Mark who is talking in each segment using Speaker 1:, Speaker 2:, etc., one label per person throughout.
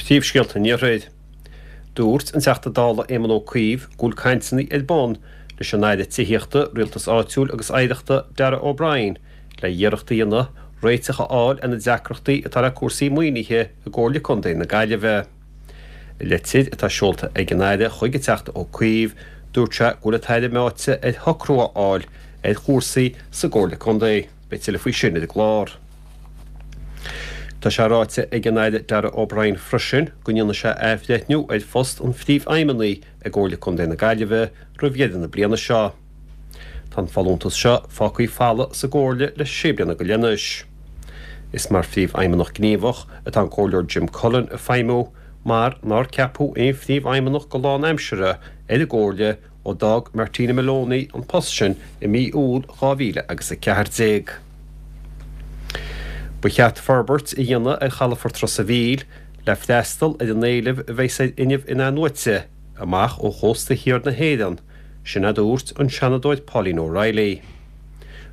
Speaker 1: Príomhscéalta an Iarthair. Dúirt an Teachta Dála Éamon Ó Cuív go bhfuil cainteanna ar bun leis an Aire Tithíochta, Rialtais Áitiúil agus Oidhreachta Darragh O'Brien le iarracht a dhéanamh réiteach a fháil ar na deacrachtaí atá le cúrsaí maoinithe i gComhairle Contae na Gaillimhe. I litir atá seolta ag an Aire chuig an Teachta Ó Cuív, dúirt sé go bhfuil an tAire meáite ar shocrú a fháil ar chúrsaí sa gComhairle Contae. Beidh tuilleadh faoi sin ar an gclár. Tá sé ráite ag an Aire Darragh O'Brien freisin go ndéanfaidh sé athbhreithniú ar phost an Phríomhfheidhmeannaigh i gComhairle Contae na Gaillimhe roimh dheireadh na bliana seo. Tá an folúntas seo fágtha folamh sa gComhairle le sé bliana go leith anois. Is mar Phríomhfheidhmeannach Gníomhach atá an Comhairleoir Jim Cullen ag feidhmiú mar nár ceapadh aon Phríomhfheidhmeannach go lánaimseartha ar an gComhairle ó d'fhág Martina Moloney an post sin i mí Iúil 2014. Ba cheart forbairt a dhéanamh ar chalafort Ros a' Mhíl le freastal ar an éileamh a bheas ar fhuinneamh in-athnuaite amach ó chósta thiar na hÉireann, sin a dúirt an Seanadóir Pauline O'Reilly.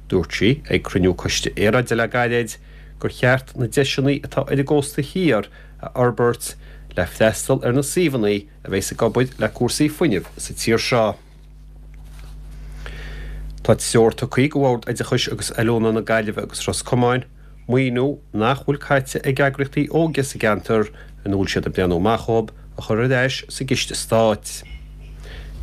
Speaker 1: Dúirt sí ag cruinniú Coiste Aeráide le gairid gur cheart na deiseanna atá ar an gcósta thiar a fhorbairt le freastal ar na suíomhanna a bheas ag obair le cúrsaí fuinnimh sa tír seo. Tá treoir tugtha do Bhord Oideachais agus Oiliúna na Gaillimhe agus Ros Comáin maoiniú nach bhfuil caite ag eagraíochtaí óige sa gceantar ina bhfuil siad ag breathnú amach dhóibh a chur ar ais sa gciste stáit.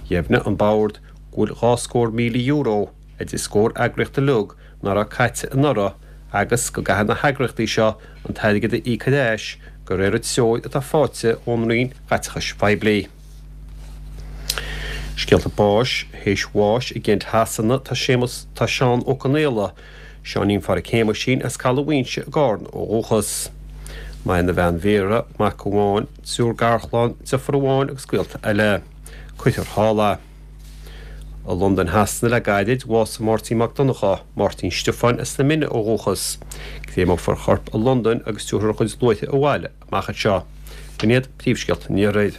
Speaker 1: Dheimhnigh an Bord go bhfuil €2,000 idir scór eagraíocht uilig nach raibh caite anuraidh agus go gcaithfidh na heagraíochtaí seo an t-airgead a íoc ar ais de réir an treoir atá faighte ón Roinn Chaiteachais Phoiblí. Scéalta báis, Théis bháis i gCent Shasana tá Séamus tá Seán Ó Conaola, Seáinín Pháraic Shéamuisín as Caladh Mhaínse i gCarna ó dhúchas. Maireann a bhean Vera, mac amháin, triúr garchlann, deirfiúr amháin agus gaolta eile. Cuirfear thall é. I Londain Shasana le gairid, bhásaigh Máirtín Mac Donnchadha, Máirtín Stiofáin as na Mine ó dhúchas. Créamófar a chorp i Londain agus tabharfar a chuid luaithe abhaile amach anseo. B'in iad príomhscéalta an Iarthair.